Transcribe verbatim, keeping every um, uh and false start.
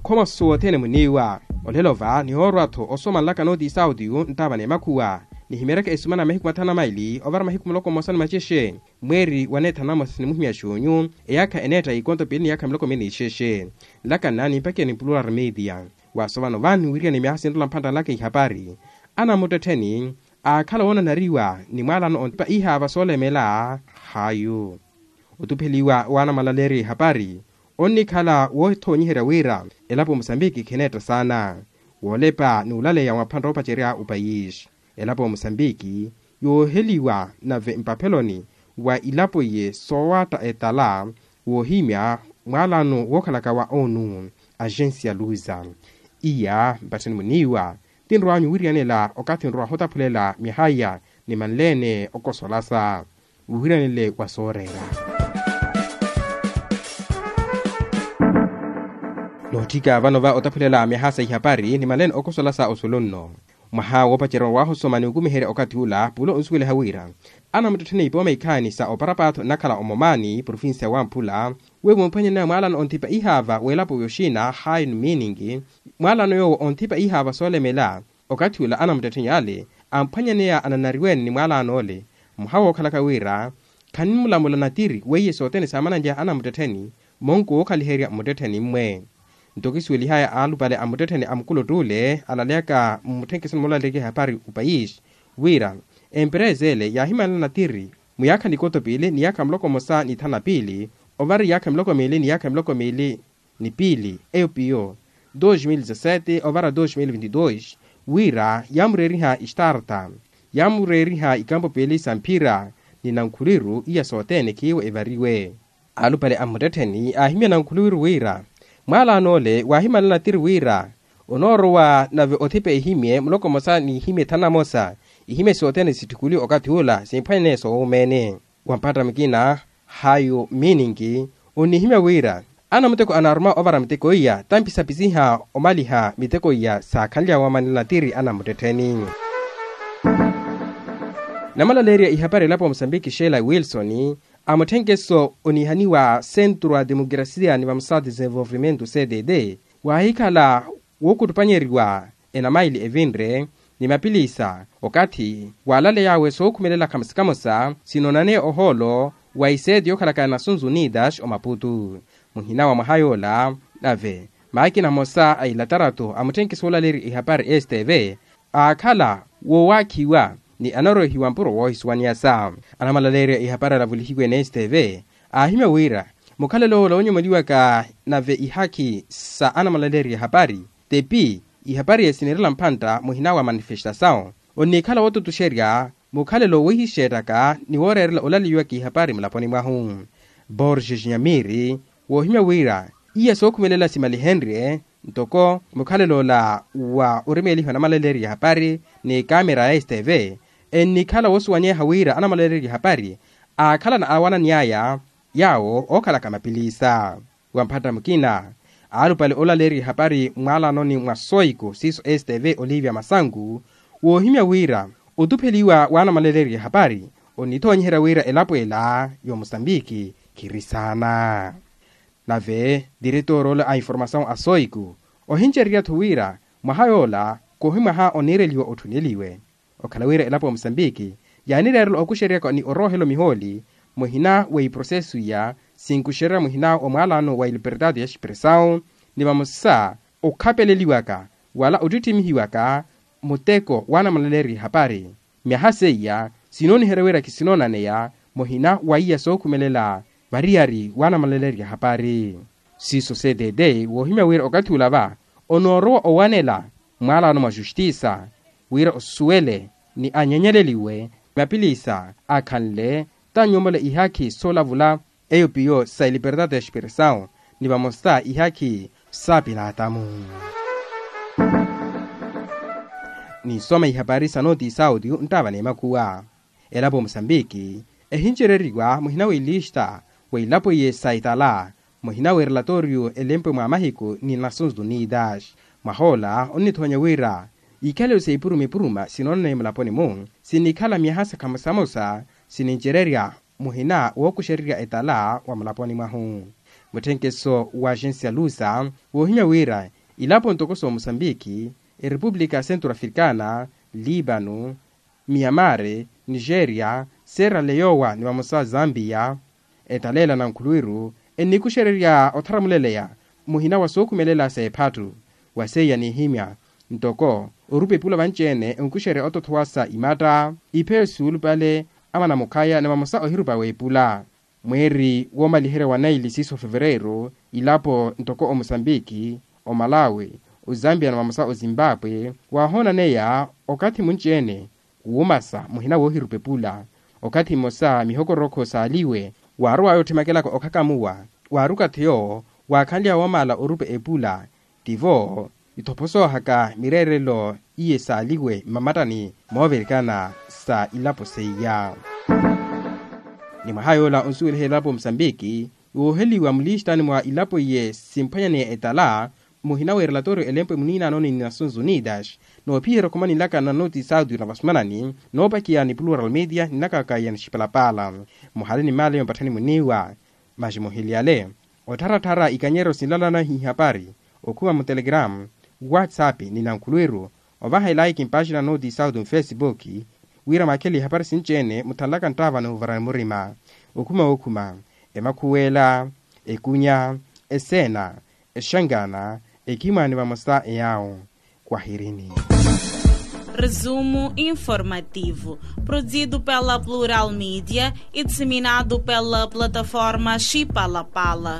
Khomosu wothene muniiwa. Olelo va nihoorwa-tho osoma nlaka nooti isautiyu nttaava n'emakhuwa, nihimeryaka esumana mahiku mathanu na maili ovara mahiku muloko mmosa ni macexe. Mweeri wa neethanu na mmosa sinimuhimya xuunyu, eyaakha eneetta ikonto piili ni yaakha miloko miili ni ixexe. Nlaka nna nimpakeni plural media. Waaso vano vaani wiiriyani myaha sinrola mphantta nlaka ihapari, anamuttettheni aakhala woonanariwa ni mwaalano onthipa ihaava soolemela. Haayu otupheliwa w'anamalaleerya ihapari onnikhala woothoonyiherya wira elapo musambiki khineetta saana woolepa ni olaleya mwa phantta oopacerya opayisi. Elapo ya musambiki yooheliwa nave mpapheloni wa ilapo iye soowaatta etala woohimya mwaalano wookhalaka wa onu. Agensia luza iya mpattheni muniiwa tinrow'anyu wiriyanela okathi nrowa hotaphulela myaha iya ni manleene okosolasa wiwiranile wa sooreera. Nootthika vano va otaphulela myaha sa ihapari ni manleene okosola sa osulu nno. Mwaha woopacerya waahusoma ni okumiherya okathi ula pulo onsuweliha wira anamuttettheni ipooma ikhaani sa oparapaatho nnakhala omomaani provincia wamphula, weevo mphwanyaneya mwaalano onthipa ihaava w'elapo yoxina hayi ni miininki mwaalano yoowo onthipa ihaava soolemela. Okathi ula anamuttettheni ale amphwanyaneya ananariwene ni mwaalano ole. Mwaha wookhalaka wira khanimulamula natiri weiye sothene saamananly'aha anamuttettheni monko wookhaliherya mmuttettheni mmwe. Nto kisuwelihaya alupale a mmuttettheni a mukulottuule alaleyaka mmutthenkeso ni moolaleerya ehapari opayisi wira emperesa ele yaahimanela natiri muyaakha nikoto piili ni yaakha muloko mmosa ni thanu na piili ovara yaakha miloko miili ni yaakha miloko miili ni piili eyo piyo dos mil dezasete ovara dos mil vinti dos, wira yaamureeriha istarta yaamureeriha ikampo piili sa mphira ni nankhuliru iya sothene khiiwo evariwe. Alupale a mmuttettheni aahimya nankhuliru wira mwaalanoole waahimanela natiri wira onoorowa nave othipa ehimye muloko mmosa ni ihimye thanu na mosa ihimye sothene sitthukuliwe okathi ula simphwanyaneya soowumeene. Wa mpattamiki na hayu miininki onnihimya wira anamuteko anaaruma ovara miteko iya tampisapisiha omaliha miteko iya saakhanly'awe wamanela natiri anamuttettheni. Namalaleerya ihapari elapo wa musambiki sheela wilson amutthenkeso onihaniwa centro a democracia ni vamosa desenvolvimento cdd waahikhala wookuttupanyeriwa enamaili evinre ni mapilisa okathi waalaley'awe sookhumelela khamosa khamosa sinoonaneya ohoolo wa iseeti yookhalaka nasunzu unidas omaputu. Muhina wa mwaha yoola nave maakina amosa a ilatarato amutthenkeso woolaleerya ihapari stv aakhala woowaakhiwa ni anarwehiwa mpuro woohisuwaniyasa. Anamalaleerya ihapari alavulihiwe ni stv aahimya wira mukhalelo ola oonyomoliwaka nave ihakhi sa anamalaleerya ihapari tepi ihapari esinirela mphantta muhina wa manifestasawu onnikhala wootutuxerya mukhalelo wiihixeettaka ni wooreerela olaleyiwaka ihapari mulaponi mwahu. Borges nyamiri woohimya wira iya sookhumelela simalihenrye ntoko mukhalelo ola wa orimeelihiwa namalaleerya ihapari ni kamera ya stv ennikhala woosuwanyeha wira anamalaleerya ihapari aakhalana aawananiy'aya yaawo ookhalaka mapilisa. Wa mphatta mukina alupale olaleerya ihapari mwaalanoni mwa soiku siiso stv olivia masanku woohimya wira otupheliwa w'anamalaleerya ihapari onnithoonyiherya wira elapo ela y'omusambiki khiri saana. Nave diretoroolo a informasawu a soiku ohincererya-tho wira mwaha yoola khuhi mwaha oniireliwa otthuneliwe. Okhala wira elapo ya musambiki yaanireerela okuxereryaka ni oroohela omihooli muhina wa iprosesu iya sinkuxererya muhina wa mwaalano wa iliperdade ya xipresawu ni vamosa okhapeleliwaka wala ottitthimihiwaka muteko w'anamalaleerya ihapari. Myaha seiya sinooniherya wira kisinoonaneya muhina wa iya sookhumelela variyari w'anamalaleerya ihapari. Siiso cdd woohimya wira okathi ula va onoorowa owanela mwaalano mwa justisa wira osuwele ni anyanyaleliwe mapilisa akhanle tannyomole ihakhi soolavula eyo piyo sa iliperdade ya xipresawu ni vamosa ihakhi sa pilaatamu. Ninsoma ihapari sa nooti isautiyu nttaava n'emakhuwa. Elapo musambiki ehincereriwa muhina wa ilista wa ilapo iye sa itala muhina wa erelatoriyo elempwe mwa mahiku ni nations unidas. Mwahoola onnithoonya wira ikhalelo sa ipuruma ipuruma sinoonaneya mulaponi-mu sinikhala myaha sa khamosamosa sinincererya muhina wookuxererya etala wa mulaponi mwahu. Otthenkeso wa axensi ya lusa woohimya wira ilapo ntoko s'omosambiki, erepupulika ya centro africana, libano, miyamare, nigeria, serra leyowa ni vamosa zambiya, etaleela na nkhuluwiru ennikuxererya otharamuleleya muhina wa sookhumelela s'ephattu. Wa seiya nihimya ntoko orupa epula vanci-ene onkuxerya otothowa sa imatta, ipheyo suulupale, amana mukhaya ni vamosa ohirupa w'epula. Mweeri woomaliherya wa naili siiso fevereiro, ilapo ntoko omosambiki, omalawi, ozambia ni vamosa ozimbapwe waahoonaneya okathi munci-ene kuwumasa muhina woohirupa epula. Okathi mmosa mihokorokho saaliwe, waarowaya otthimakelaka okhakamuwa, waari okathi yoowo waakhanly'awe woomaala orupa epula. Tivo ithoposoohaka mireerelo iye saaliwe mmamattani moovirikana sa ilapo seiya. Ni mwaha yoola onsuweliha elapo musambiki wooheliwa mulistaani mwa ilapo iye simphwanyaneya etala, muhina w'erelatoriyo elempwe muniinaanoni ni nations unidas, noophiyerya okhuma ninlaka na noti saudio na vasumanani noopakiya ni plural media ninlakaka ya nixipalapala. Muhale ni maale mapatthani muniiwa. Maxi muhiliyale ottharattharya ikanyeryo sinlalana ihapari, okhuma mutelegramu, whatsapp ni nankhuluwiru, ovaha elaiki mpaxina noti sauti mufesipuki, wira mwakhele ihapari sinci-ene muthanlaka nttaava n'uvarani murima. Okhuma wookhuma, emakhuwela, ekunya, eseena, exangana, ekhimwaani vamosa eyaawo. Kwahirini. Resumo informativo, produzido pela Plural Media e disseminado pela plataforma Chipalapala.